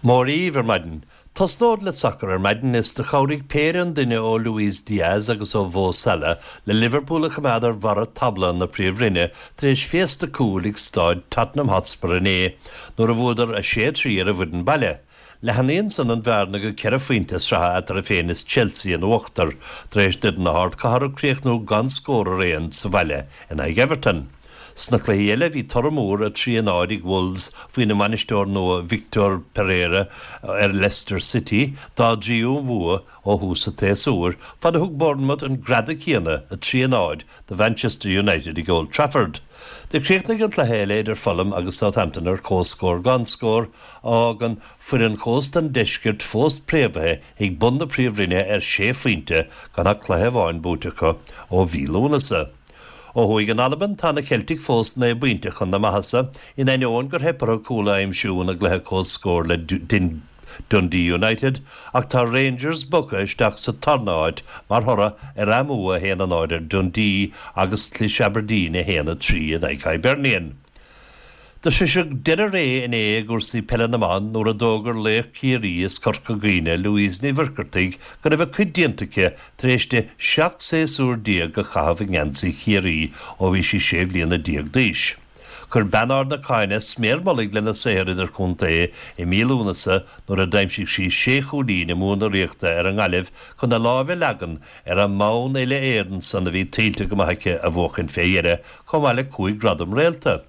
Mora dhaoibh ar maidin. Tosnód le sacar ar maidin is do chabhraigh péire an duine ó Luis Diaz agus ó Mho Salah le Liverpool a choimeád ar bharra tábla na Príomhroinne tar éis féasta cúil ag Stáid Tottenham Hotspur inné nuair a bhuadar 6-3 ar an bhfoireann baile. Leathnaíonn san an bhearna go ceithre phointe sraithe eatarthu féin is Chelsea in uachtar tar éis d'fhoireann na hardchathrach críochnú gan scór ar aon sa bhaile in aghaidh Everton. Sna cluichí eile bhí toradh mór 3-0 ag Wolves faoina mbainisteoir nua Victor Pereira ar Leicester City, dá dtríú bhua ó thús an tséasúir, fad a thug Bournemouth an greadadh céanna, 3-0, do Mhanchester United ag Old Trafford. Do chríochnaigh an cluiche eile idir Fulham agus Southampton ar comhscór gan scór, a fhágann foireann chósta an deiscirt fós préamhaithe ag bun na Príomhroinne ar shé phointe gan ach cluiche amháin buaite acu ó mhí Lúnasa. Ó thuaidh in Albain, tá na Ceiltigh fós 9 bpointe chun na maitheasa, in ainneoin gur theip orthu cúl a aimsiú ina gcluiche comhscóir le Dundee United, ach tá Rangers bogtha isteach sa tarna háit mar thoradh ar a mbua 1-0 ar Dundee agus chlis Aberdeen 1-3 in aghaidh Hibernian. Do sroiseadh deireadh ré inné i gcúrsaí peile na mban nuair a d'fhógair laoch Chiarraí is Corca Dhuibhne, Louise Ní Mhuircheartaigh, go raibh a cuid déanta aici tar éis di 17 séasúr a chaitheamh i ngeansaí Chiarraí ó bhí sí 16 bliana d'aois. Chuir bean Ard na Caithne sméar mullaigh lena saothar idirchontae i mí Lúnasa nuair a d'aimsigh sí sé chúilín i mbua na Ríochta ar an nGaillimh chun a láimh a leagan ar an mbonn uile-Éireann san a bhí tuillte go maith aici a bhuachaint fé dheireadh, chomh maith le 5 ghradam réalta.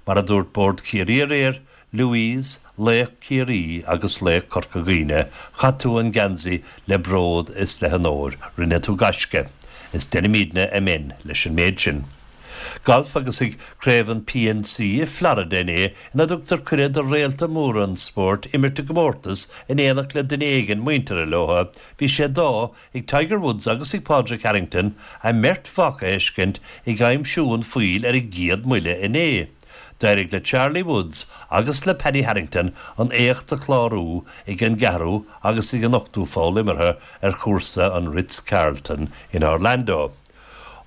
Mar a dúirt Bord Chiarraí aréir, Louise, laoch Chiarraí agus laoch Corca Dhuibhne, chaith tú an geansaí le bród is le honóir, rinne tú gaisce. Is deirimidne amen leis an méid sin. Galf agus ag Craobh an PNC i Florida inné ina dtugtar cuireadh do réalta móra an spóirt imirt i gcomórtas in éineacht le duine éigin muinteartha leo, bhí sé d'ádh ag Tiger Woods agus ag Pádraig Harrington a mbeirt mhac a fheiscint ag aimsiú an phoill ar a gcéad mbuille inné. D'éirigh le Charlie Woods agus le Paddy Harrington an éacht a chlárú ag an gceathrú agus ag an ochtú poll imeartha ar chúrsa an Ritz-Carlton in Orlando.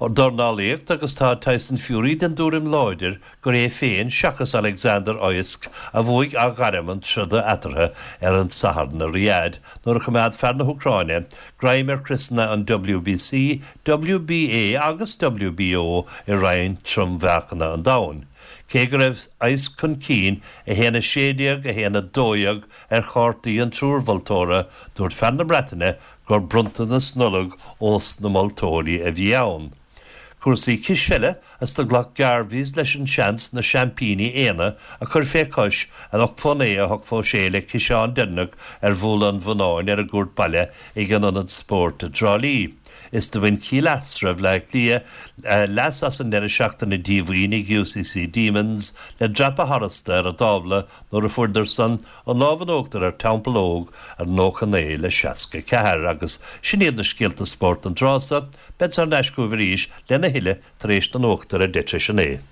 Dornálaíocht agus tá Tyson Fury den dtuairim láidir gur é féin seachas Alexander Usyk a bhuaigh athghairm an troda eatarthu ar an Satharn i Riyadh nuair a choimeád fear na hÚcráine greim ar chriosanna an WBC, WBA agus WBO i roinn trom-mheáchana an domhain. Cé go raibh Usyk chun cinn 1-16, 1-12 ar chártaí an triúr mholtóra, dúirt fear na Breataine gur bronntanas Nollag ós na moltóirí a bhí ann. Cúrsaí cispheile is do ghlac Garveys leis an seans na seaimpíní Éanna a chur fé chois 8 fó 9, 8 fó 6 le ciseán deireanach ar Bhuaile an Bhonnáin ar a gcuairt baile ag an Ionad Spóirt i dTrá Lí. Is do bhain Cill Easra Bhaile Átha Cliath leas as an ndeireadh seachtaine díomhaoin ag UCC Demons le dreapadh tharasta ar an dtábla nuair a fuaireadar san an lámh in uachtar ar Theampall Óg ar 99 le 64 agus sin iad na scéalta spóirt don tráth so. Bead thar n-ais chugaibh arís lena thuilleadh tar éis na nuachta ar 9:20.